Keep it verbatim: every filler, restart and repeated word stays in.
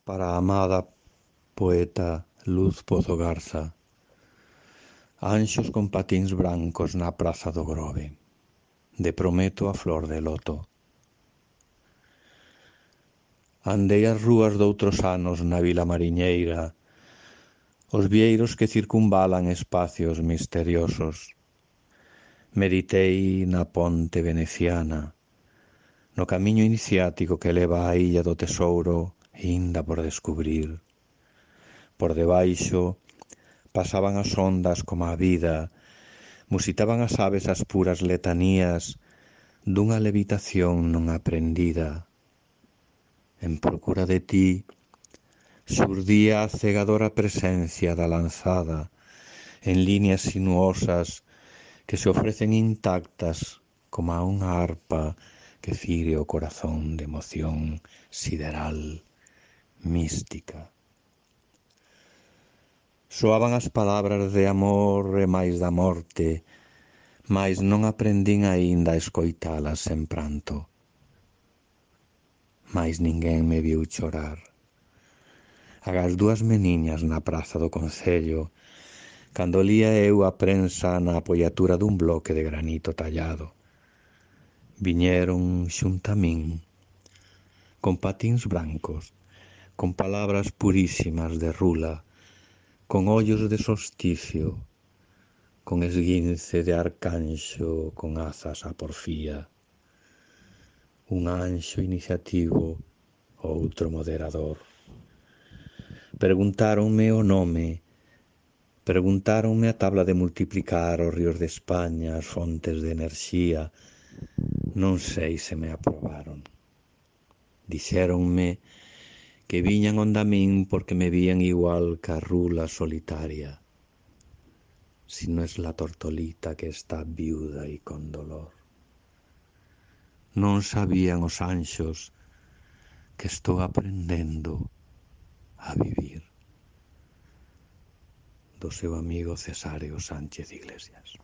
para a amada poeta Luz Pozo Garza. Anxos con patíns brancos na praza do Grove, de Prometo a flor de loto. Andei as rúas doutros anos na vila mariñeira, os vieiros que circunvalan espacios misteriosos. Meditei na ponte veneciana, no camiño iniciático que leva á illa do tesouro inda por descubrir. Por debaixo pasaban as ondas como a vida, musitaban as aves as puras letanías dunha levitación non aprendida. En procura de ti xurdía a cegadora presencia da lanzada en líneas sinuosas que se ofrecen intactas como a unha arpa que fire o corazón de emoción sideral, mística. Soaban as palabras de amor e máis da morte, mais non aprendín aínda a escoitalas sen pranto. Mais ninguén me viu chorar. Agás dúas meniñas na praza do concello, cando lía eu a prensa na apoiatura dun bloque de granito tallado. Viñeron xunta a min, con patíns brancos, con palabras purísimas de rula, con ollos de solsticio, con esguince de arcanxo, con azas a porfía. Un anxo iniciativo, outro moderador. Preguntáronme o nome, preguntáronme a tabla de multiplicar os ríos de España, as fontes de enerxía. Non sei se me aprobaron. Dixéronme que viñan onda min porque me vían igual ca rula solitaria, si no es la tortolita que está viuda y con dolor. Non sabían os anxos que estou aprendendo a vivir. Do seu amigo Cesáreo Sánchez Iglesias.